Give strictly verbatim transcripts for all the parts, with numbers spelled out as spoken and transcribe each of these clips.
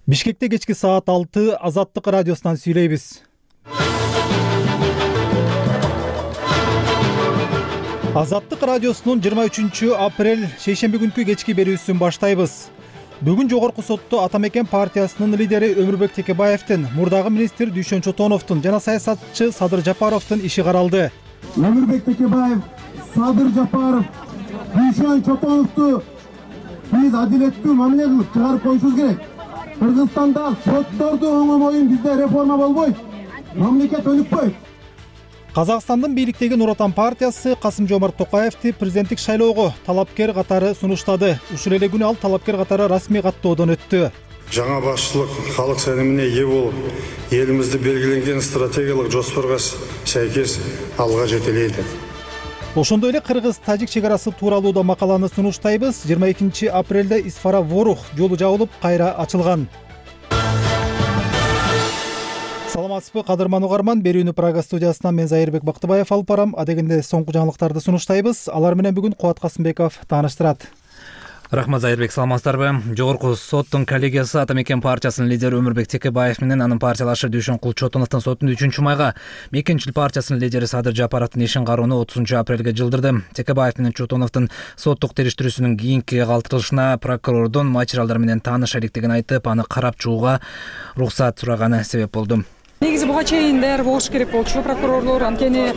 Бишкекте кечки саат алты Азаттык радиосунан сүйлөйбүз. Азаттык радиосунун жыйырма үчүнчү апрель шейшемби күнкү кечки берүүсүн баштайбыз. Бүгүн жогорку сотто Атамекен партиясынын лидери Өмүрбек Текебаевдин, мурдагы министр Дүйшөн Чотоновдун жана саясатчы Садыр Жапаровдун иши каралды. Өмүрбек Текебаев, Садыр Жапаров, Дүйшөн Чотоновду биз адилеттүү мамиле кылып чыгарып коюшубуз керек. Кыргызстанда сотторду оңомойун бизде реформа болбойт. Мамлекет өнүкпөйт. Казакстандын бийликтеги Нур Отан партиясы Касым-Жомарт Токаевди президенттик шайлоого талапкер катары сунуштады. Ушул эле күнү ал талапкер катары расмий каттоодон өттү. Жаңа башчылык халык сенімине ээ болуп, элимизди белгиленген стратегиялык жоспорго сайкес алга жетелейди. Ошондой эле кыргыз-тажик чек арасы тууралуу да макаланы сунуштайбыз. жыйырма экинчи апрелде Исфара-Ворух жолу жабылып, кайра ачылган. Саламатсызбы, кадырман угарман. Берүүнү Прага студиясынан мен Зайырбек Бактыбаев алып барам. Адегенде соңку жаңылыктарды сунуштайбыз. Алар менен бүгүн Кубат Касымбеков тааныштырат. Рахмат, Зайырбек, саламатсыздарбы? Жогорку соттун коллегиясы Атамекен партиясынын лидери Өмүрбек Текебаев менен анын партиялашы Дүйшөн Чотоновдун сотун үчүнчү майга Мекенчил партиясынын лидери Садыр Жапаровдун ишин кароону отузунчу апрелге жылдырды. Текебаев менен Чотоновдун соттук териштирүүсүнүн кийинки калтырылышына прокурордун материалдар менен тааныша электигин айтып, аны карап чыгууга уруксат сураганы себеп болду. Негизи буга чейин даяр болуш керек болчу прокурорлор, анткени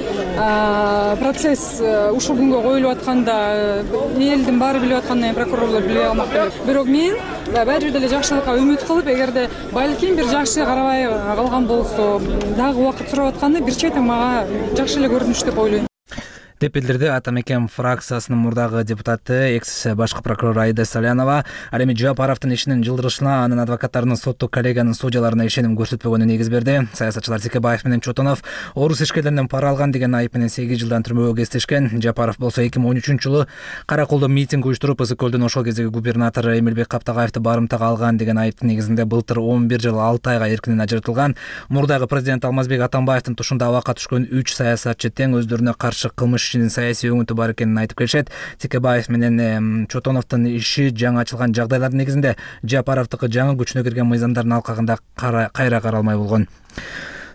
процесс ушул күнгө коюлуп атканда элдин баары билип аткандан кийин прокурорлор биле алмак белек. Бирок мен баары жерде эле жакшылыкка үмүт кылып, эгерде балким бир жакшы карабай калган болсо, дагы убакыт сурап атканы бир чети мага жакшы эле көрүнүш деп ойлойм. Деп билдирди Атамекен фракциясынын мурдагы депутаты, экс башкы прокурор Аида Салянова. Ал эми Жапаровдун ишинин жылдырышына анын адвокаттарынын соттук коллегиянын судьяларына ишеним көрсөтпөгөнү негиз берди. Саясатчылар Текебаев менен Чотонов орус ишкерлеринен пара алган деген айып менен сегиз жылдан түрмөгө кестешкен. Жапаров болсо эки миң он үчүнчү жылы Кара Колдо митинг уюштуруп, Ысык-Көлдүн ошол кездеги губернатор Эмилбек Каптагаевди барымтага алган деген айыптын негизинде былтыр он бир жыл алты айга эркинен ажыратылган. Мурдагы президент Алмазбек Атамбаевдин тушунда абакка түшкөн үч саясатчы тең өздөрүнө каршы кылмыш ишинин саясий өңүтү бар экенин айтып келишет. Текебаев менен Чотоновдун иши жаңы ачылган жагдайлардын негизинде Жапаровдуку жаңы күчүнө кирген мыйзамдардын алкагында кайра каралмай болгон.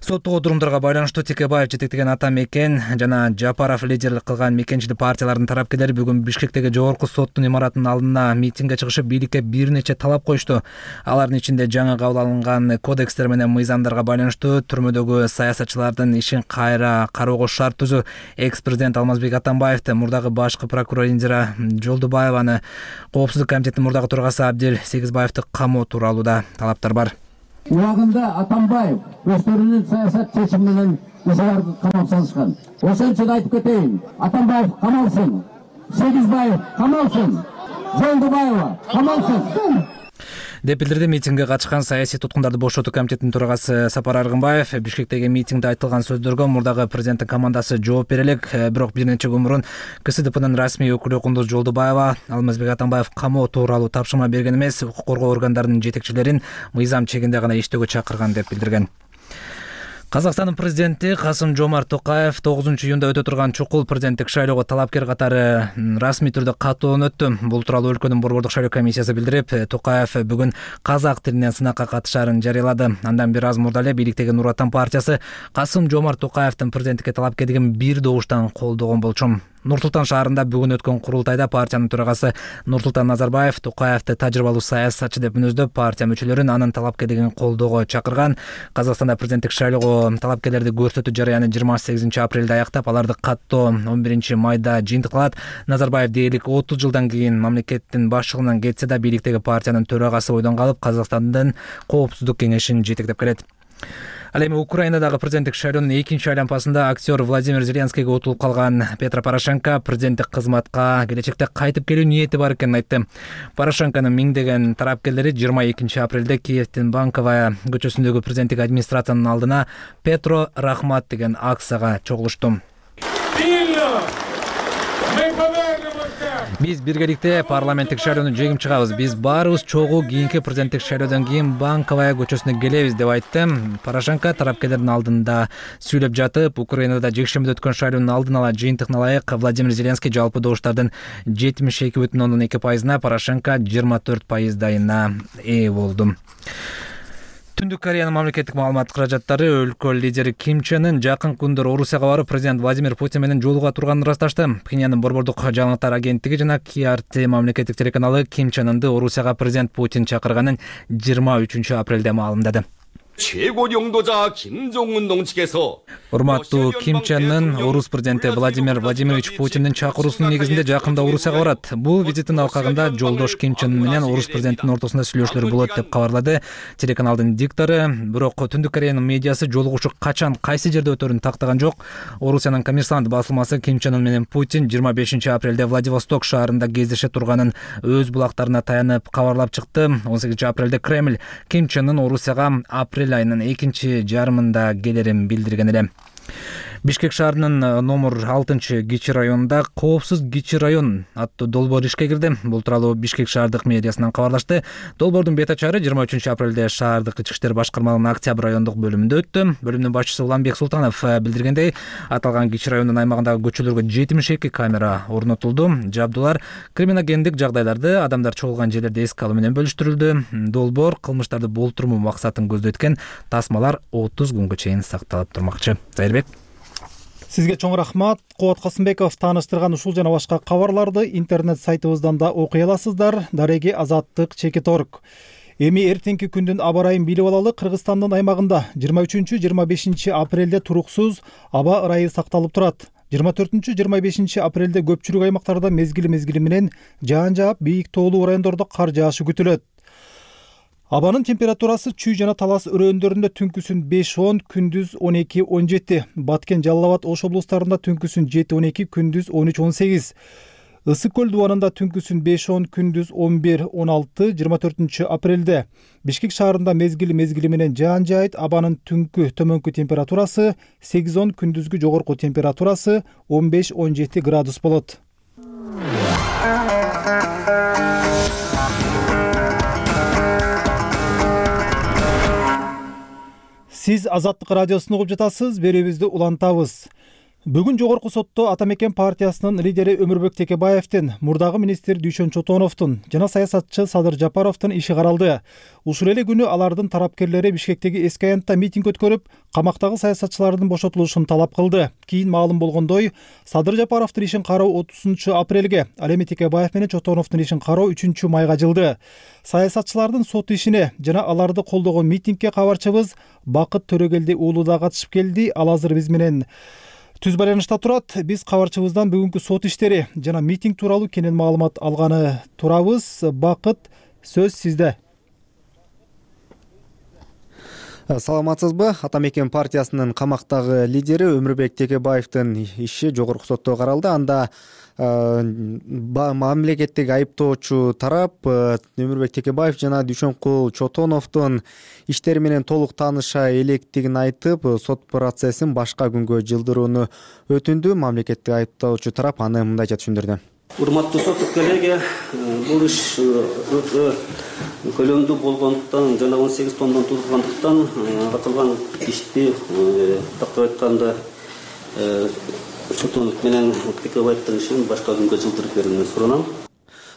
Соттук отурумдарга байланыштуу Текебаев жетектеген Атамекен жана Жапаров лидерлик кылган мекенчил партиялардын тарапкерлери бүгүн Бишкектеги жогорку соттун имаратынын алдына митингге чыгышып, бийликке бир нече талап коюшту. Алардын ичинде жаңы кабыл алынган кодекстер менен мыйзамдарга байланыштуу түрмөдөгү саясатчылардын ишин кайра кароого шарт түзүү, экс-президент Алмазбек Атамбаевди, мурдагы башкы прокурор Индира Жолдубаеваны, Коопсуздук комитетинин мурдагы төрагасы Абдел Сегизбаевди камоо тууралуу да талаптар бар. Убагында Атамбаев өздөрүнүн саясат чечими менен ошолорду камап салышкан. Ошон үчүн айтып кетейин, Атамбаев камалсын, Сегизбаев камалсын, Жолдубаева камалсын деп билдирди митингге катышкан саясий туткундарды бошотуу комитетинин төрагасы Сапар Аргынбаев. Бишкектеги митингде айтылган сөздөргө мурдагы президенттин командасы жооп бере элек. Бирок бир нече күн мурун КСДПнын расмий өкүлү Кундуз Жолдубаева Алмазбек Атамбаев камоо тууралуу тапшырма берген эмес, укук коргоо органдарынын жетекчилерин мыйзам чегинде гана иштөөгө чакырган деп билдирген. Казакстандын президенти Касым-Жомарт Токаев тогузунчу июнда өтө турган чукул президенттик шайлоого талапкер катары расмий түрдө каттоодон өттү. Бул тууралуу өлкөнүн борбордук шайлоо комиссиясы билдирип, Токаев бүгүн казак тилинен сынакка катышаарын жарыялады. Андан бир аз мурда эле бийликтеги Нур Отан партиясы Касым-Жомарт Токаевдин президенттикке талапкерлигин бир добуштан колдогон болчу. Нур-Султан шаарында бүгүн өткөн курултайда партиянын төрагасы Нурсултан Назарбаев Токаевди тажрыйбалуу саясатчы деп мүнөздөп, партия мүчөлөрүн анын талапкерлигин колдоого чакырган. Казакстанда президенттик шайлоого талапкерлерди көрсөтүү жарыяны жыйырма сегизинчи апрелде аяктап, аларды каттоо он биринчи майда жыйынтыкталат. Назарбаев дээрлик отуз жылдан кийин мамлекеттин башчылыгынан кетсе да, бийликтеги партиянын төрагасы бойдон калып, Казакстандын Коопсуздук кеңешин жетектеп келет. Ал эми Украинадагы президенттик шайлоонун экинчи айлампасында актер Владимир Зеленскийге утулуп калган Петро Порошенко президенттик кызматка келечекте кайтып келүү ниети бар экенин айтты. Порошенконун миңдеген тарапкерлери жыйырма экинчи апрелде Киевдин Банковая көчөсүндөгү президенттик администрациянын алдына Петро Рахмат деген акцияга чогулушту. Биз биргеликте парламенттик шайлоону жеңип чыгабыз. Биз баарыбыз чогуу кийинки президенттик шайлоодон кийин Банковая көчөсүнө келебиз деп айтты. Порошенко тарапкерлердин алдында сүйлөп жатып, Украинада жекшембиде өткөн шайлоонун алдын ала жыйынтыгына ылайык Владимир Зеленский жалпы добуштардын жетимиш эки бүтүн ондон эки пайызына, Порошенко жыйырма төрт пайыздайына ээ болду. Түндүк Кореянын мамлекеттик маалымат каражаттары өлкө лидери Ким Чен Ын жакын күндөр Орусияга барып президент Владимир Путин менен жолуга турганын ырасташты. Пхеньяндын борбордук жаңылыктар агенттиги жана Ки Ар Ти мамлекеттик телеканалы Ким Чен Ынды Орусияга президент Путин чакырганын жыйырма үчүнчү апрелде маалымдады. 최고領導者 김정은 동측에서 Урматтуу Ким Чен Ын орус президенти Владимир Владимирович Путиндин чакыруусунун негизинде жакында Орусияга барат. Бул визиттин алкагында жолдош Ким Чен Ын менен орус президентинин ортосунда сүйлөшүүлөр болот деп кабарлады телеканалдын диктору. Бирок Түндүк Кореянын медиасы жолугушуу качан кайсы жерде өтөрүн тактаган жок. Орусиянын Коммерсант басылмасы Ким Чен Ын менен Путин жыйырма бешинчи апрелде Владивосток шаарында кездеше турганын өз булактарына таянып кабарлап чыкты. он сегизинчи апрелде Кремль Ким Чен Ын Орусияга апрель айынын экинчи жарымында келерин билдирген эле. Бишкек шаарынын номер алтынчы Гичи районунда коопсуз Гичи район аттуу долбоор ишке кирди. Бул тууралуу Бишкек шаардык мэриясынан кабарлашты. Долбоордун бет ачары жыйырма үчүнчү апрелде шаардык ички иштер башкармалыгынын Октябрь райондук бөлүмүндө өттү. Бөлүмдүн башчысы Уланбек Султанов билдиргендей, аталган Гичи районунун аймагындагы көчөлөргө жетимиш эки камера орнотулду. Жабдуулар криминогендик жагдайларды, адамдар чогулган жерлерди эске алуу менен бөлүштүрүлдү. Долбоор кылмыштарды болтурмоо максатын көздөйт экен. Тасмалар отуз күнгө чейин сакталып турмакчы. Зайырбек. Сизге чоң рахмат. Кубат Касымбеков тааныштырган ушул жана башка кабарларды интернет сайтыбыздан да окуй аласыздар. Дареги Азаттык чекит точка орг. Эми эртеңки күндүн аба ырайын билип алалы. Кыргызстандын аймагында жыйырма үчүнчү жыйырма бешинчи апрелде туруксуз аба ырайы сакталып турат. жыйырма төртүнчү жыйырма бешинчи апрелде көпчүлүк аймактарда мезгили мезгили менен жаан жаап, бийик тоолуу райондордо кар жаашы күтүлөт. Абанын температурасы Чүй жана Талас өрөөндөрүндө түнкүсүн беш он, күндүз он эки он жети. Баткен, Жалал Абад, Ош облустарында түнкүсүн жети он эки, күндүз он үч он сегиз. Ысык көл дубанында түнкүсүн беш он, күндүз он бир он алты. жыйырма төртүнчү апрелде Бишкек шаарында мезгили мезгили менен жаан жаайт. Абанын түнкү төмөнкү температурасы сегиз он, күндүзгү жогорку температурасы он беш он жети градус болот. Сиз Азаттык радиосун угуп жатасыз, берүүбүздү улантабыз. Бүгүн жогорку сотто Атамекен партиясынын лидери Өмүрбек Текебаевдин, мурдагы министр Дүйшөн Чотоновдун жана саясатчы Садыр Жапаровдун иши каралды. Ушул эле күнү алардын тарапкерлери Бишкектеги эски аянтта митинг өткөрүп, камактагы саясатчылардын бошотулушун талап кылды. Кийин маалым болгондой, Садыр Жапаровдун ишин кароо отузунчу апрелге, ал эми Текебаев менен Чотоновдун ишин кароо үчүнчү майга жылды. Саясатчылардын сот ишине жана аларды колдогон митингге кабарчыбыз Бакыт Төрөгелди уулу да катышып келди. Ал азыр биз менен түз байланышта турат. Биз кабарчыбыздан бүгүнкү сот иштери жана митинг тууралуу кенен маалымат алганы турабыз. Бакыт, сөз сизде. Саламатсызбы? Атамекен партиясынын камактагы лидери Өмүрбек Текебаевдин иши жогорку сотто каралды. Анда мамлекеттик айыптоочу тарап Өмүрбек Текебаев жана Дүйшөнкул Чотоновдун иштери менен толук тааныша электигин айтып, сот процессин башка күнгө жылдырууну өтүндү. Мамлекеттик айыптоочу тарап аны мындайча түшүндүрдү. Урматтуу соттук коллега, бул иш өтө көлөмдүү болгондуктан жана он сегиз томдон тургандыктан аталган ишти тактап айтканда Чотонов менен Текебаевдин ишин башка күнгө жылдырып берүүнү суранам.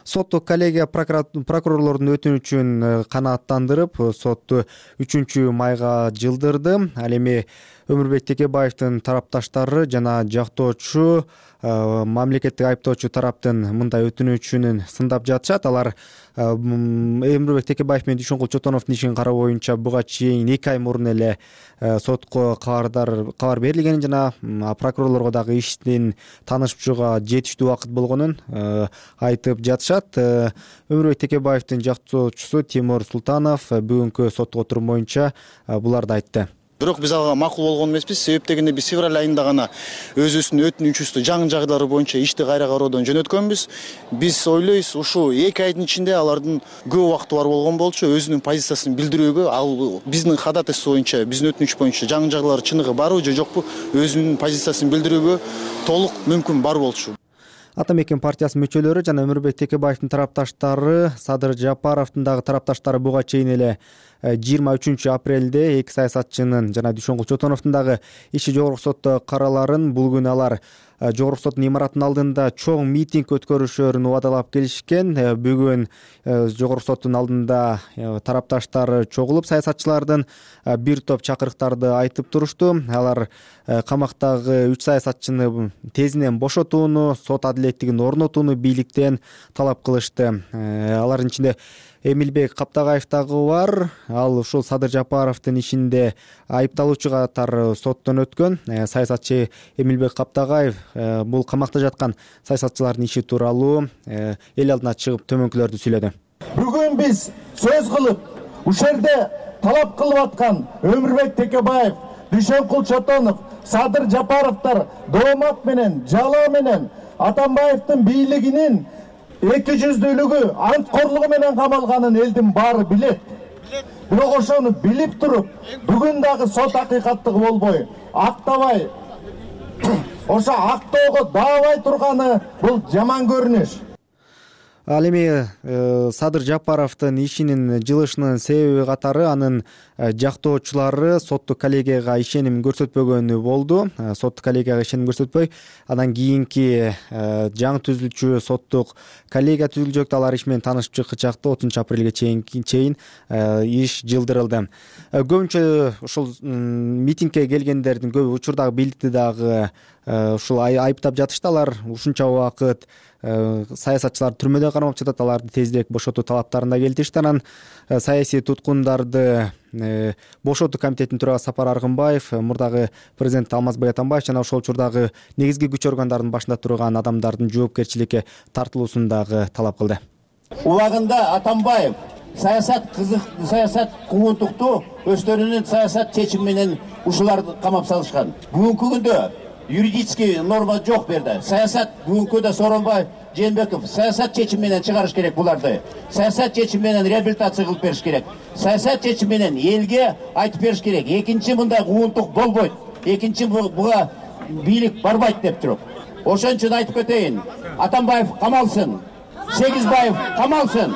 Соттук коллегия прокурорлордун өтүнүчүн канааттандырып, сотту үчүнчү майга жылдырды. Ал эми Өмүрбек Текебаевдин тарапташтары жана жактоочу мамлекеттик айыптоочу тараптын мындай өтүнүчүн сындап жатышат. Алар Өмүрбек Текебаев менен Дүйшөнкул Чотоновдун ишин кароо боюнча буга чейин эки ай мурун эле сотко кабардар кабар берилгенин жана прокурорлорго дагы иштин таанышчуга жетиштүү убакыт болгонун айтып жатышат. Өмүрбек Текебаевдин жактоочусу Тимур Султанов бүгүнкү соттук отурум боюнча буларды айтты. Бирок биз ага макул болгон эмеспиз. Себеп дегенде биз февраль айында гана өзүбүздүн өтүнүчүбүздү жаңы жагдайлары боюнча ишти кайра кароодон жөнөткөнбүз. Биз ойлойбуз, ушу эки айдын ичинде алардын көп убакыты бар болгон болчу өзүнүн позициясын билдирүүгө. Ал биздин ходатайство боюнча, биздин өтүнүч боюнча жаңы жагдайлар чыныгы барбы же жокпу өзүнүн позициясын билдирүүгө толук мүмкүн бар болчу. Атамекен партиясынын мүчөлөрү жана Өмүрбек Текебаевдин тарапташтары, Садыр Жапаровдун дагы тарапташтары буга чейин эле жыйырма үчүнчү апрелде эки саясатчынын жана Дүйшөнкул Чотоновдун дагы иши жогорку сотто караларын. Бул күнү алар жогорку соттун имаратынын алдында чоң митинг өткөрүшөрүн убадалап келишкен. Бүгүн жогорку соттун алдында тарапташтары чогулуп саясатчылардын бир топ чакырыктарды айтып турушту. Алар камактагы үч саясатчыны тезинен бошотууну, сот адилеттигин орнотууну бийликтен талап кылышты. Алардын ичинде Эмилбек Каптагаев дагы бар. Ал ушул Садыр Жапаровдун ишинде айыпталуучу катары соттон өткөн. Саясатчы Эмилбек Каптагаев бул камакта жаткан саясатчылардын иши тууралуу эл алдына чыгып төмөнкүлөрдү сүйлөдү. Бүгүн биз сөз кылып, ушул жерде талап кылып аткан Өмүрбек Текебаев, Дүйшөнкул Чотонов, Садыр Жапаровдор доомат менен, жалаа менен Атамбаевдин бийлигинин эки жүздүүлүгү, анткорлугу менен камалганын элдин баары билет. Бирок ошону билип туруп, бүгүн дагы сот акыйкаттыгы болбой, актабай, ошо актоого даабай турганы бул жаман көрүнүш. Ал эми Садыр Жапаровдун ишинин жылышынын себеби катары анын жактоочулары соттук коллегияга ишеним көрсөтпөгөнү болду. Соттук коллегияга ишеним көрсөтпөй, андан кийинки жаңы түзүлчү соттук коллегия түзүлжөк. Алар иш менен таанышып чыккычакта отузунчу апрелге чейин иш жылдырылды. Көбүнчө ушул митингге келгендердин көбү учурдагы бийликти дагы ушул айыптап жатышты. Алар ушунча убакыт саясатчылар түрмөдө кармап жатат, аларды тезирээк бошотуу талаптарында келтиришти. Анан саясий туткундарды бошотуу комитетинин төрагасы Сапар Аргынбаев, мурдагы президент Алмазбек Атамбаев жана ошол учурдагы негизги күч органдарынын башында турган адамдардын жоопкерчиликке тартылуусун дагы талап кылды. Убагында Атамбаев саясат кызык, саясат куугунтукту өздөрүнүн саясат чечими менен ушуларды камап салышкан. Бүгүнкү күндө юридический норма жок берди. Саясат бүгүнкү да Сооронбай Жээнбеков саясат чечими менен чыгарыш керек буларды. Саясат чечими менен реабилитация кылып бериш керек. Саясат чечими менен элге айтып бериш керек. Экинчи мындай куугунтук болбойт. Экинчи буга бийлик барбайт деп туруп. Ошон үчүн айтып кетейин. Атамбаев камалсын. Сегизбаев камалсын.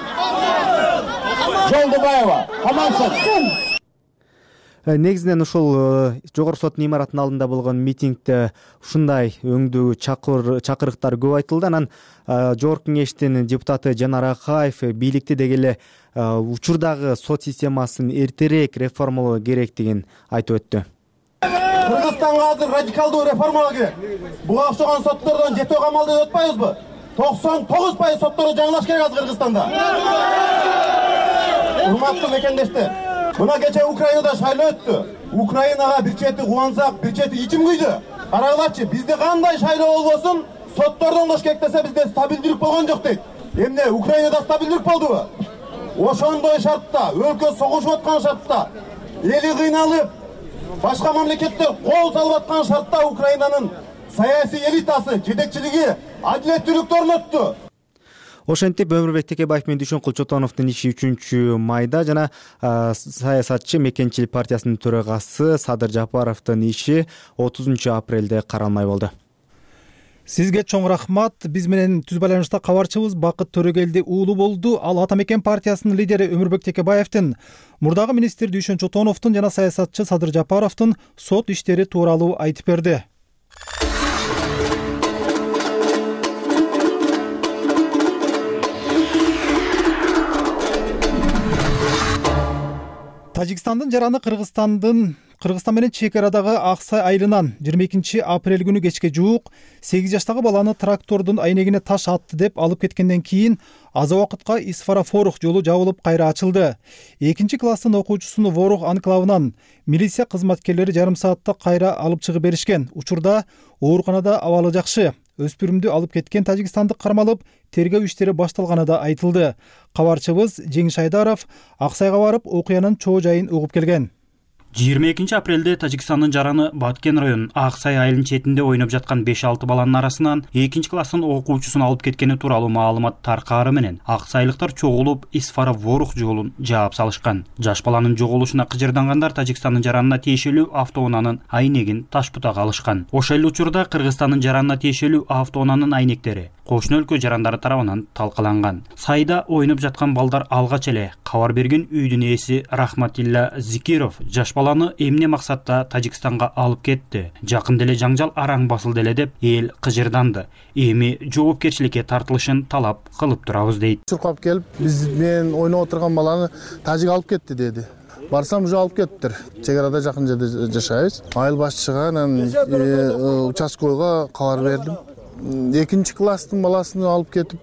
Жолдубаева камалсын. Негизинен ушул жогорку соттун имаратынын алдында болгон митингде ушундай өңдүү чакырыктар көп айтылды. Анан жогорку кеңештин депутаты Жанар Акаев бийликти деги эле учурдагы сот системасын эртерээк реформалоо керектигин айтып өттү. Кыргызстанга азыр радикалдуу реформалоо керек. Буга окшогон соттордон жетөө камалды деп атпайбызбы? токсон тогуз пайыз сотторду жаңылаш керек азыр Кыргызстанда. Урматтуу мекендештер, мына кече Украинада шайлоо өттү. Украинага бир чети кубансак, бир чети ичим күйдү. Карагылачы, бизде кандай шайлоо болбосун, соттордон кош керек десе бизде стабилдүүлүк болгон жок дейт. Эмне Украинада стабилдүүлүк болдубу? Ошондой шартта, өлкө согушуп аткан шартта, эли кыйналып, башка мамлекеттер кол салып аткан шартта Украинанын саясий элитасы, жетекчилиги адилеттүүлүктү орнотту. Ошентип Өмүрбек Текебаев менен Дүйшөнкул Чотоновдун иши үчүнчү майда жана саясатчы Мекенчил партиясынын төрагасы Садыр Жапаровдун иши отузунчу апрелде каралмай болду. Сизге чоң рахмат. Биз менен түз байланышта кабарчыбыз Бакыт Төрөгелди уулу болду. Ал Атамекен партиясынын лидери Өмүрбек Текебаевдин, мурдагы министр Дүйшөн Чотоновдун жана саясатчы Садыр Жапаровдун сот иштери тууралуу айтып берди. Тажикстандын жараны Кыргызстандын Кыргызстан менен чек арадагы Аксай айылынан жыйырма экинчи апрель күнү кечке жуук сегиз жаштагы баланы трактордун айнегине таш атты деп алып кеткенден кийин аз убакытка Исфара-Форух жолу жабылып кайра ачылды. экинчи класстын окуучусуну Ворух анклавынан милиция кызматкерлери жарым саатта кайра алып чыгып беришкен. Учурда ооруканада абалы жакшы. Өспүрүмдү алып кеткен тажикстандык кармалып, тергөө иштери башталганы да айтылды. Кабарчыбыз Жеңиш Айдаров Аксайга барып, окуянын чоо жайын угуп келген. жыйырма экинчи апрелде Тажикстандын жараны Баткен районунун Аксай айылынын четинде ойноп жаткан беш алты баланын арасынан экинчи класстын окуучусун алып кеткени тууралуу маалымат таркаары менен аксайлыктар чогулуп Исфара-Ворух жолун жаап салышкан. Жаш баланын жоголушуна кыжырдангандар Тажикстандын жаранына тиешелүү автоунаанын айнегин таш бутага алышкан. Ошол эле учурда Кыргызстандын жаранына тиешелүү автоунаанын айнектери кошуна өлкө жарандары тарабынан талкаланган. Сайда ойноп жаткан балдар алгач эле кабар берген үйдүн ээси Рахматилла Зикиров жаш баланы эмне максатта Тажикстанга алып кетти, жакында эле жаңжал араң басылды эле деп эл кыжырданды. Эми жоопкерчиликке тартылышын талап кылып турабыз дейт. Чуркап келип, биз менен ойноп отурган баланы тажик алып кетти деди. Барсам уже алып кеттир. Чек арада жакын жерде жашайбыз. Айыл башчыга, анан участкойго кабар бердим. Экинчи класстын баласын алып кетип,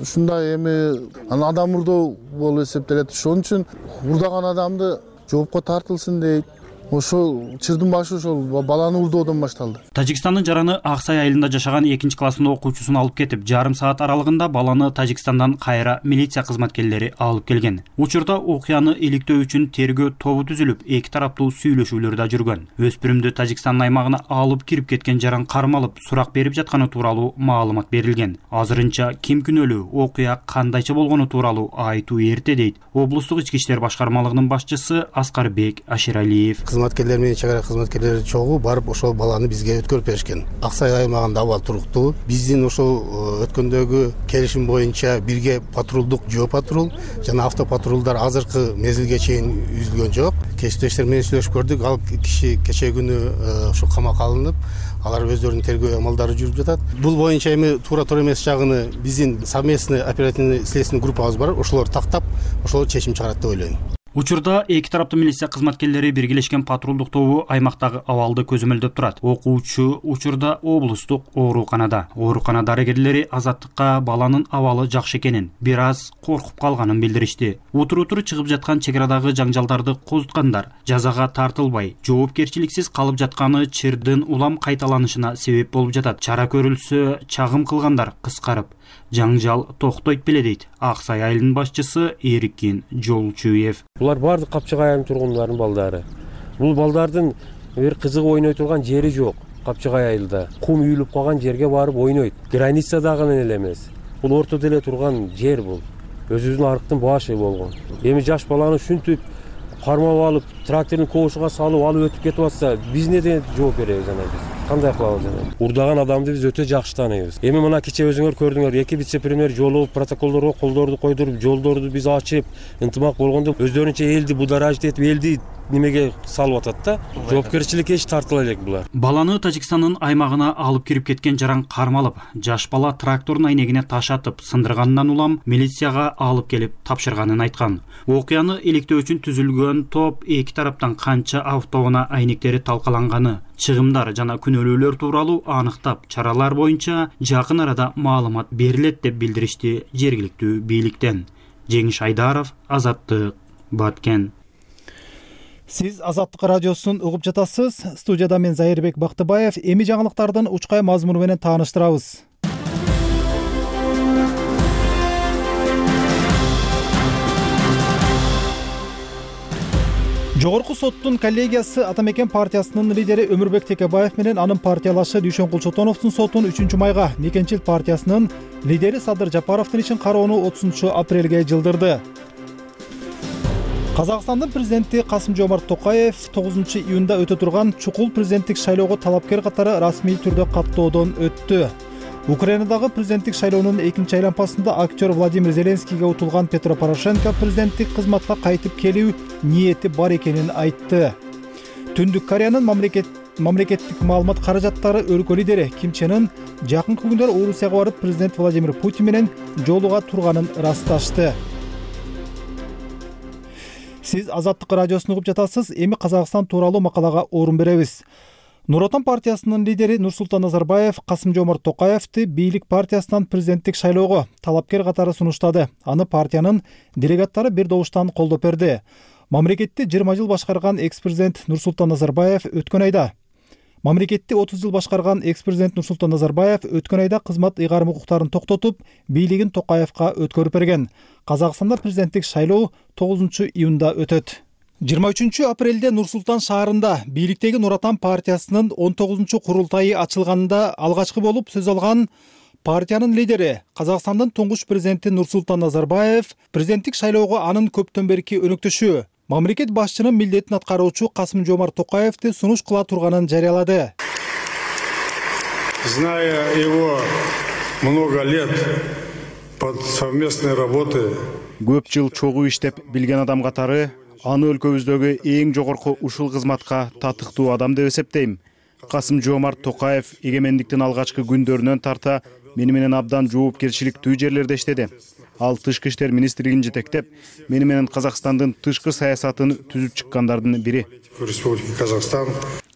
ушундай эми анан адам урдоо болуп эсептелет. Ошон үчүн урдаган адамды жоопко тартылсын дейт. Ошол чырдын башы ошол баланы урдоодон башталды. Тажикстандын жараны Аксай айылында жашаган экинчи класстын окуучусун алып кетип, жарым саат аралыгында баланы Тажикстандан кайра милиция кызматкерлери алып келген. Учурда окуяны иликтөө үчүн тергөө тобу түзүлүп, эки тараптуу сүйлөшүүлөр да жүргөн. Өспүрүмдү Тажикстандын аймагына алып кирип кеткен жаран кармалып, сурак берип жатканы тууралуу маалымат берилген. Азырынча ким күнөөлүү, окуя кандайча болгону тууралуу айтуу эрте дейт облустук ички иштер башкармалыгынын башчысы Аскарбек Аширалиев. Кызматкерлер менен чек ара кызматкерлери чогуу барып ошол баланы бизге өткөрүп беришкен. Аксай аймагында абал туруктуу. Биздин ошол өткөндөгү келишим боюнча бирге патрулдук жөө патрул жана автопатрулдар азыркы мезгилге чейин үзүлгөн жок. Кесиптештер менен сүйлөшүп көрдүк. Ал киши кечээ күнү ошо камакка алынып, алар өздөрүнүн тергөө амалдары жүрүп жатат. Бул боюнча эми туура туура эмес жагыны биздин совместный оперативный следственный группабыз бар. Ошолор тактап, ошол чечим чыгарат деп ойлойм. Учурда эки тараптуу милиция кызматкерлери биргелешкен патрулдук тобу аймактагы абалды көзөмөлдөп турат. Окуучу учурда облустук ооруканада. Оорукана дарыгерлери Азаттыкка баланын абалы жакшы экенин, бир аз коркуп калганын билдиришти. Утур-утур чыгып жаткан чек арадагы жаңжалдарды козуткандар жазага тартылбай, жоопкерчиликсиз калып жатканы чырдын улам кайталанышына себеп болуп жатат. Чара көрүлсө, чагым кылгандар кыскарып, жаңжал токтойт беле дейт Аксай айылынын башчысы Эркин Жолчуев. Булар бардык Капчыгай айылынын тургундарынын балдары. Бул балдардын бир кызыгып ойной турган жери жок. Капчыгай айылда кум үйүлүп калган жерге барып ойнойт. Границадагы эле эмес. Бул ортодо эле турган жер бул. Өзүбүздүн арыктын башы болгон. Эми жаш баланы ушинтип кармап алып, трактордун кошуга салып алып өтүп кетип атса, биз неден жооп беребиз анан биз? Кандай кылабыз анан? Урдаган адамды биз өтө жакшы тааныйбыз. Эми мына кечээ өзүңөр көрдүңөр, эки вице-премьер жолугуп, протоколдорго колдорду койдуруп, жолдорду биз ачып, ынтымак болгондо өздөрүнчө элди бударажит этип, элди немеге салып атат да. Жоопкерчиликке эч тартыла элек булар. Баланы Тажикстандын аймагына алып кирип кеткен жаран кармалып, жаш бала трактордун айнегине таш атып, сындыргандан улам милицияга алып келип тапшырганын айткан. Окуяны иликтөө үчүн түзүлгөн топ эки тараптан канча автоунаа айнектери талкаланганы, чыгымдар жана күнөөлүүлөр тууралуу аныктап, чаралар боюнча жакын арада маалымат берилет деп билдиришти жергиликтүү бийликтен. Жеңиш Айдаров, Азаттык, Баткен. Сиз Азаттык радиосун угуп жатасыз. Студияда мен Зайырбек Бактыбаев. Эми жаңылыктардын учкай мазмуну менен тааныштырабыз. Жогорку соттун коллегиясы Атамекен партиясынын лидери Өмүрбек Текебаев менен анын партиялашы Дүйшөнкул Чотоновдун сотун үчүнчү майга, Мекенчил партиясынын лидери Садыр Жапаровдун ишин кароону отузунчу апрелге жылдырды. Казакстандын президенти Касым-Жомарт Токаев тогузунчу июнда өтө турган чукул президенттик шайлоого талапкер катары расмий түрдө каттоодон өттү. Украинадагы президенттик шайлоонун экинчи айлампасында актер Владимир Зеленскийге утулган Петро Порошенко президенттик кызматка кайтып келүү ниети бар экенин айтты. Түндүк Кореянын мамлекет мамлекеттик маалымат каражаттары өлкө лидери Ким Чен Ын жакынкы күндөр Орусияга барып президент Владимир Путин менен жолуга турганын ырасташты. Сиз Азаттык радиосун угуп жатасыз. Эми Казакстан тууралуу макалага орун беребиз. Нур Отан партиясынын лидери Нурсултан Назарбаев Касым-Жомарт Токаевди бийлик партиясынан президенттик шайлоого талапкер катары сунуштады. Аны партиянын делегаттары бир добуштан колдоп берди. Мамлекетти жыйырма жыл башкарган экс-президент Нурсултан Назарбаев өткөн айда Мамлекетти отуз жыл башкарган экс-президент Нурсултан Назарбаев өткөн айда кызмат ыйгарым укуктарын токтотуп, бийлигин Токаевка өткөрүп берген. Казакстанда президенттик шайлоо тогузунчу июнда өтөт. жыйырма үчүнчү апрелде Нур-Султан шаарында бийликтеги Нур Отан партиясынын он тогузунчу курултайы ачылганында алгачкы болуп сөз алган партиянын лидери, Казакстандын туңгуч президенти Нур-Султан Назарбаев президенттик шайлоого анын көптөн берки өнөктөшү, мамлекет башчынын милдетин аткаруучу Касым-Жомарт Токаевди сунуш кыла турганын жарыялады. Зная его много лет под совместной работы. Көп жыл чогуу иштеп билген адам катары аны өлкөбүздөгү эң жогорку ушул кызматка татыктуу адам деп эсептейм. Касым-Жомарт Токаев эгемендиктин алгачкы күндөрүнөн тарта мени менен абдан жоопкерчиликтүү жерлерде иштеди. Ал тышкы иштер министрлигин жетектеп, мени менен Казакстандын тышкы саясатын түзүп чыккандардын бири. Республика Казахстан.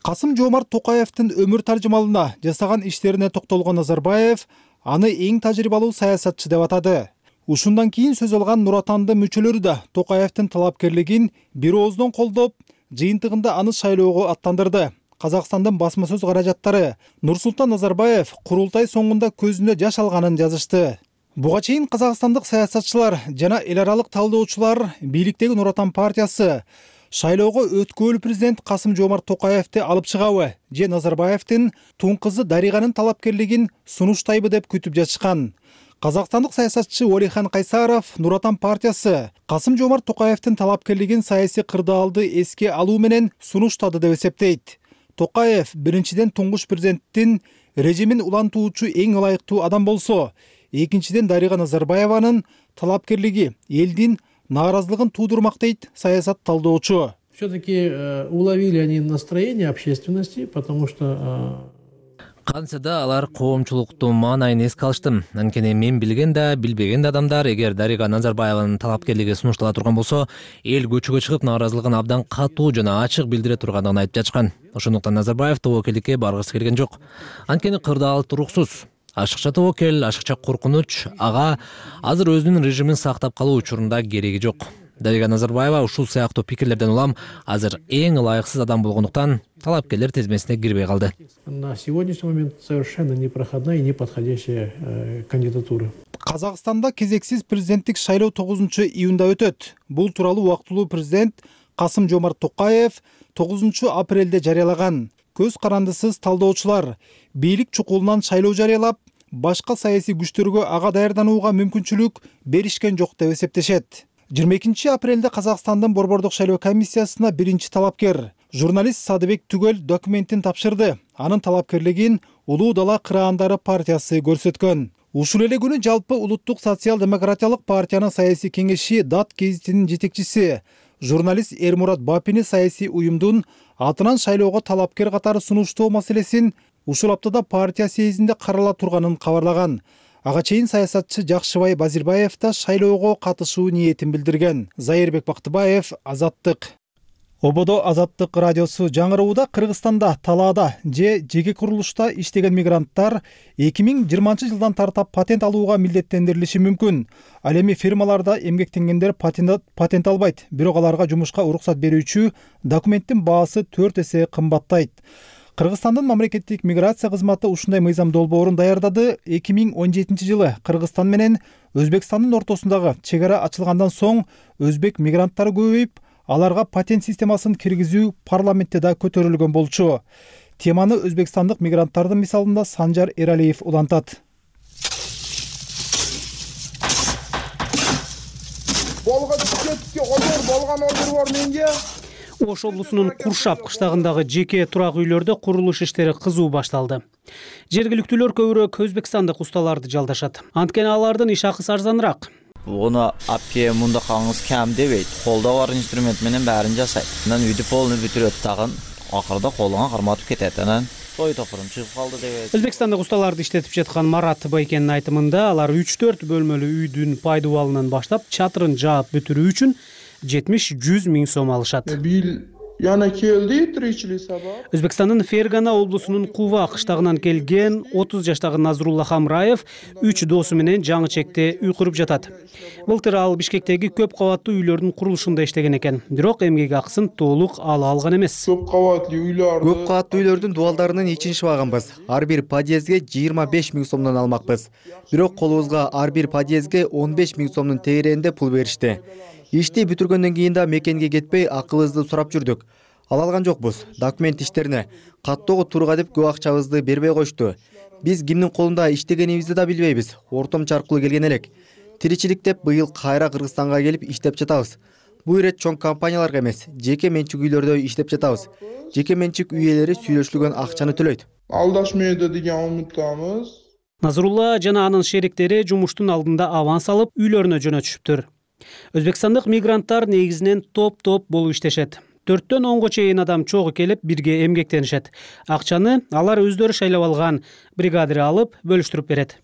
Касым-Жомарт Токаевдин өмүр таржымалына жасаган иштерине токтолгон Назарбаев аны эң тажрыйбалуу саясатчы деп атады. Ушундан кийин сөз алган Нур Отандын мүчөлөрү да Токаевдин талапкерлигин бир ооздон колдоп, жыйынтыгында аны шайлоого аттандырды. Казакстандын басма сөз каражаттары Нурсултан Назарбаев курултай соңунда көзүнө жаш алганын жазышты. Буга чейин казакстандык саясатчылар жана эл аралык талдоочулар бийликтеги Нур Отан партиясы шайлоого өткөөлүү президент Касым-Жомарт Токаевди алып чыгабы же Назарбаевдин тун кызы Дариганын талапкерлигин сунуштайбы деп күтүп жатышкан. Казакстандык саясатчы Олихан Кайсаров Нур Отан партиясы Касым-Жомарт Токаевдин талапкерлигин саясий кырдаалды эске алуу менен сунуштады деп эсептейт. Токаев биринчиден туңгуч президенттин режимин улантуучу эң ылайыктуу адам болсо, экинчиден Дарига Назарбаеванын талапкерлиги элдин нааразылыгын туудурмак дейт саясат талдоочу. Все-таки уловили они настроение общественности, потому что кантсе да алар коомчулуктун маанайын эске алышты. Анткени мен билген да, билбеген да адамдар эгер Дарига Назарбаеванын талапкерлиги сунуштала турган болсо, эл көчөгө чыгып нааразылыгын абдан катуу жана ачык билдире тургандыгын айтып жатышкан. Ошондуктан Назарбаев тобокелдикке баргысы келген жок. Анткени кырдаал туруксуз. Ашыкча тобокел, ашыкча коркунуч ага азыр өзүнүн режимин сактап калуу учурунда кереги жок. Дарига Назарбаева ушул сыяктуу пикирлерден улам азыр эң ылайыксыз адам болгондуктан талапкерлер тизмесине кирбей калды. На сегодняшний момент совершенно непроходная и неподходящая э, кандидатура. Казакстанда кезексиз президенттик шайлоо тогузунчу июнда өтөт. Бул тууралуу убактылуу президент Касым-Жомарт Токаев тогузунчу апрелде жарыялаган. Көз карандысыз талдоочулар бийлик чукулунан шайлоо жарыялап, башка саясий күчтөргө ага даярданууга мүмкүнчүлүк беришкен жок деп эсептешет. жыйырма экинчи апрелде Казакстандын борбордук шайлоо комиссиясына биринчи талапкер журналист Садыбек Түгөл документин тапшырды. Анын талапкерлигин Улуу дала кыраандары партиясы көрсөткөн. Ушул эле күнү жалпы улуттук социал-демократиялык партиянын саясий кеңеши Дат гезитинин жетекчиси журналист Эрмурат Бапини саясий уюмдун атынан шайлоого талапкер катары сунуштоо маселесин ушул аптада партия съездинде карала турганын кабарлаган. Ага чейин саясатчы Жакшыбай Базирбаев да шайлоого катышуу ниетин билдирген. Зайырбек Бактыбаев, Азаттык. Ободо Азаттык радиосу жаңырууда Кыргызстанда талаада же жеке курулушта иштеген мигранттар эки миң жыйырманчы жылдан тартап патент алууга милдеттендирилиши мүмкүн. Ал эми фирмаларда эмгектенгендер патент, патент албайт, бирок аларга жумушка уруксат берүүчү документтин баасы төрт эсе кымбаттайт. Кыргызстандын мамлекеттик миграция кызматы ушундай мыйзам долбоорун даярдады. эки миң он жетинчи жылы Кыргызстан менен Өзбекстандын ортосундагы чек ара ачылгандан соң өзбек мигранттары көбөйүп, аларга патент системасын киргизүү парламентте да көтөрүлгөн болчу. Теманы өзбекстандык мигранттардын мисалында Санжар Эралиев улантат. Ош облусунун Куршап кыштагындагы жеке турак үйлөрдө курулуш иштери кызуу башталды. Жергиликтүүлөр көбүрөөк өзбекстандык усталарды жалдашат. Анткени алардын иш акысы арзаныраак. Оны апке мында каңыз кем дебейт. Колдо бар инструмент менен бәрин жасайт. Анан үйдү полный бүтүрөт тагын. Акырда колуңа карматып кетет. Анан той топурум чыгып калды дебейт. Өзбекстандык усталарды иштетип жаткан Марат Байкенин айтымында алар үч төрт бөлмөлүү үйдүн пайдубалынан баштап чатырын жаап бүтүрүү үчүн жетимиш жүз миң сом алышат. Yana keldi tirikçilik sabab. Өзбекстандын Фергана облусунун Кува кыштагынан келген отуз жаштагы Назрулла Хамраев үч досу менен жаңы чекте үй куруп жатат. Былтыр ал Бишкектеги көп кабаттуу үйлөрдүн курулушунда иштеген экен. Бирок эмгек акысын толук ала алган эмес. Көп кабаттуу үйлөрдү Көп кабаттуу үйлөрдүн дубалдарынын ичин шыбаганбыз. Ар бир подъездге жыйырма беш миң сомдон алмакпыз. Бирок колубузга ар бир подъездге он беш миң сомдун тегерегинде пул беришти. Ишти бүтүргөндөн кийин да мекенге кетпей акыбызды сурап жүрдүк. Ала алган жокпуз. Документ иштерине каттоого турга деп көп акчабызды бербей коюшту. Биз кимдин колунда иштегенибизди да билбейбиз. Ортомчу аркылуу келген элек. Тиричилик деп быйыл кайра Кыргызстанга келип иштеп жатабыз. Бул ирет чоң компанияларга эмес, жеке менчик үйлөрдө иштеп жатабыз. Жеке менчик үй ээлери сүйлөшүлгөн акчаны төлөйт. Алдашмайды деген умуттамыз. Назрулла жана анын шериктери жумуштун алдында аванс алып үйлөрүнө жөнөтүшүптүр. Өзбекстандык мигранттар негизинен топ-топ болуп иштешет. төрттөн онго чейин адам чогуу келип бирге эмгектенишет. Акчаны алар өздөрү шайлап алган бригадир алып бөлүштүрүп берет.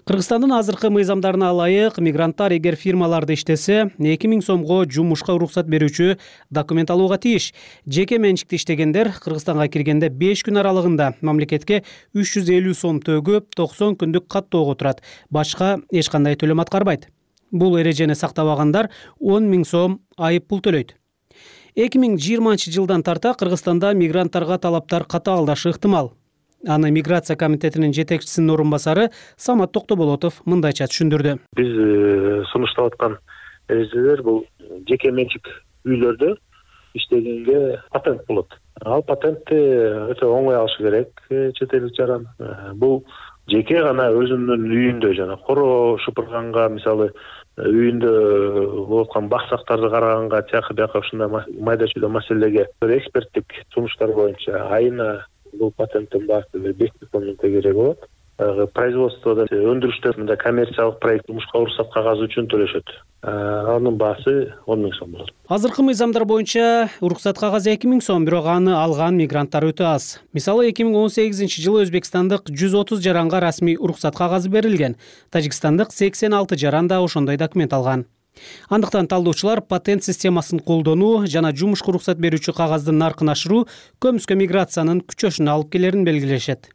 Кыргызстандын азыркы мыйзамдарына ылайык мигранттар эгер фирмаларда иштесе эки миң сомго жумушка уруксат берүүчү документ алууга тийиш. Жеке менчикте иштегендер Кыргызстанга киргенде беш күн аралыгында мамлекетке үч жүз элүү сом төгүп токсон күндүк каттоого турат. Башка эч кандай төлөм аткарбайт. Бул эрежени сактабагандар он миң сом айып пул төлөйт. эки миң жыйырманчы жылдан тарта Кыргызстанда мигранттарга талаптар катаалдашы ыктымал. Аны миграция комитетинин жетекчисинин орун басары Самат Токтоболотов мындайча түшүндүрдү. Биз сунуштап аткан эрежелер бул жеке менчик үйлөрдө иштегенге патент болот. Ал патентти өтө оңой алыш керек чет элдик жаран. Бул жеке гана өзүнүн үйүндө жана коро шупурганга, мисалы үйүндө болуп аткан баксактарды караганга, тияка бияка ушундай майда чүйдө маселелерге эксперттик сунуштар боюнча айына бул патенттин баасы беш сомдон тегерек болот. Производстводо өндүрүштө мындай коммерциялык проект жумушка уруксат кагазы үчүн төлөшөт. Анын баасы он миң сом болот. Азыркы мыйзамдар боюнча уруксат кагазы эки миң сом, бирок аны алган мигранттар өтө аз. Мисалы эки миң он сегизинчи жылы өзбекстандык жүз отуз жаранга расмий уруксат кагазы берилген. Тажикстандык сексен алты жаран да ошондой документ алган. Андыктан талдоочулар патент системасын колдонуу жана жумушка уруксат берүүчү кагаздын наркын ашыруу көмүскө миграциянын күчөшүнө алып келерин белгилешет.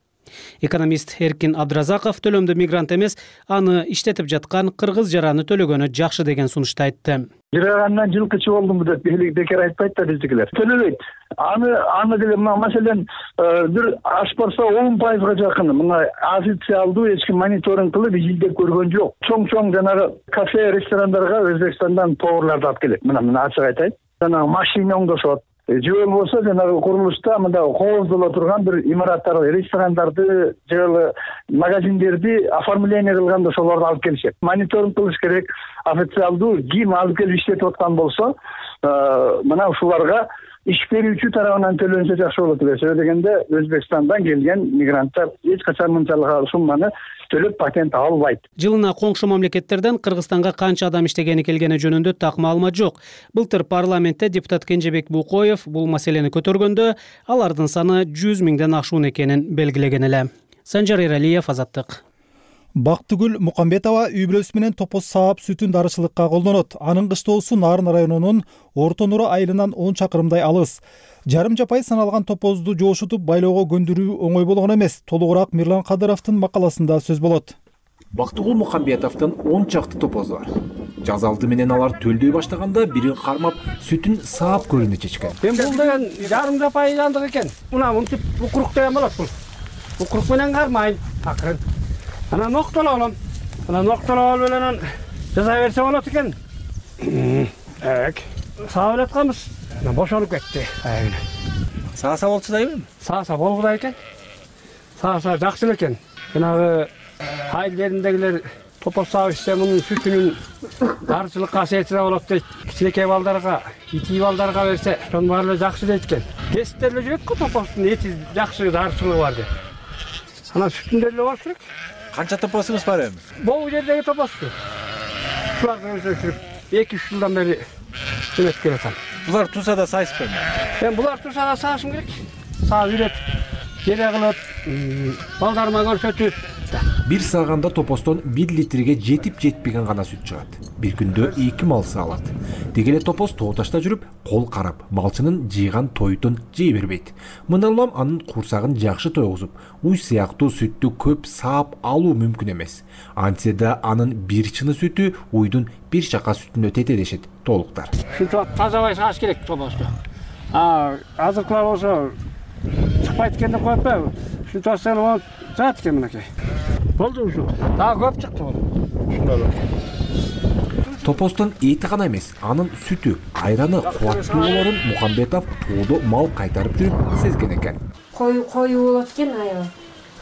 Экономист Эркин Абдразаков төлөмдү мигрант эмес, аны иштетип жаткан кыргыз жараны төлөгөнү жакшы деген сунушту айтты. Жырагандан жылкычы болдумбу деп бекер айтпайт да биздикилер. Төлөбөйт. Аны аны деле маселен бир аш барса он пайызга жакын мына официалдуу эч ким мониторинг кылып изилдеп көргөн жок. Чоң-чоң жанагы кафе, ресторандарга Өзбекстандан поварларды алып келет. Мына мына ачык айтайын. Жана машина оңдошот. Же болбосо жанагы курулушта мындай кооздоло турган бир имараттарды, ресторандарды, же магазиндерди оформление кылганда ошолорду алып келишет. Мониторинг кылыш керек. Официалдуу ким алып келип иштетип аткан болсо, мына ушуларга иш берүүчү тарабынан төлөнсө жакшы болот эле. Себеби дегенде Өзбекстандан келген мигранттар эч качан мынчалык сумманы төлөп патент албайт. Жылына коңшу мамлекеттерден Кыргызстанга канча адам иштегени келгени жөнүндө так маалымат жок. Былтыр парламентте депутат Кенжебек Букоев бул маселени көтөргөндө алардын саны жүз миңден ашуун экенин белгилеген эле. Санжар Эралиев, Азаттык. Бактыгүл Мукамбетова үй бүлөсү менен топоз саап сүтүн дарычылыкка колдонот. Анын кыштоосу Нарын районунун Орто Нура айылынан он чакырымдай алыс. Жарым жапай саналган топозду жоошутуп байлоого көндүрүү оңой болгон эмес. Толугураак Мирлан Кадыровдун макаласында сөз болот. Бактыгул Мукамбетовдун он чакты топозу бар. Жаз алды менен алар төлдөй баштаганда бирин кармап сүтүн саап көрүүнү чечкен. Мен бул деген жарым жапай жандык экен. Мына мынтип укурук деген болот бул. Укурук менен кармайм акырын. Ana noktalayalım. Ana noktalayalım öyle ceza verse bolot eken. Evet. Sağ olatkamız. Boşalıp ketти. Aynen. Sağsa bolsa da emin? Sağsa bolguda eken. Sağsa jakşı eken. Janagı ayыл жериндегилер топоз саап ичсе мунун сүтүнүн дарычылык касиети да болот дейт. Кичинекей балдарга, ити балдарга берсе, ошонун баары эле жакшы дейт экен. Кесиптер эле жүрөт го топоздун эти жакшы дарычылыгы бар деп. Ана сүтүндө эле болуш керек. Канча топозуңуз бар эми? Бул жердеги топозду. Шуларды өсүрүп эки үч жылдан бери эметип келатам. Булар туса да сайыспайбы? Мен булар туса да саашым керек. Саап үйрөт, жере кылып, балдарыма көрсөтүп. Бир сааганда топостон бир литрге жетип жетпеген гана сүт чыгат. Бир күндө эки мал саалат. Деги эле топоз тоо ташта жүрүп, кол карап, малчынын жыйган тойтун жей бербейт. Мындан улам анын курсагын жакшы тойгузуп, уй сыяктуу сүттү көп саап алуу мүмкүн эмес. Антсе да анын бир чыны сүтү уйдун бир чака сүтүнө тете дешет толуктар. Сүт тазабай сааш керек топозду. А азыркылар болсо чыкпайт экен деп коюппу. Сүт асылып жат экен мынакей. Болду ушу. Дагы көп чыкты бул. Ушундай. Топостон эти гана эмес, анын сүтү, айраны кубаттуу болорун Мукамбетов тоодо мал кайтарып жүрүп сезген экен. Кой кою болот экен айыл.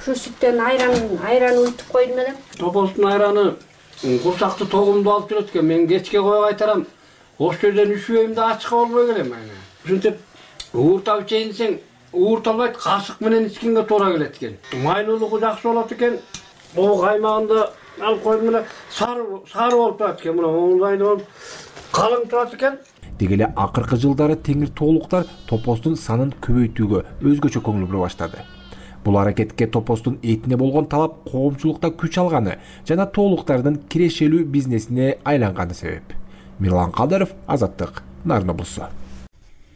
Ушу сүттөн айран, айран уйтуп койдум элем. Топостун айраны курсакты тогумду алып жүрөт экен. Мен кечке кой кайтарам. Ош жерден үшүбөйм да ачка болбой келем айна. Ушинтип ууртап ичейинсең, уурталбайт, кашык менен ичкенге туура келет экен. Майлуулугу жакшы болот экен. боо каймагында алып койдум эле сары сары болуп турат экен, мына оңдайда болуп калың турат экен. Деги эле акыркы жылдары теңир тоолуктар топостун санын көбөйтүүгө өзгөчө көңүл бура баштады. Бул аракетке топостун этине болгон талап коомчулукта күч алганы жана тоолуктардын кирешелүү бизнесине айланганы себеп. Мирлан Кадыров, Азаттык, Нарын облусу.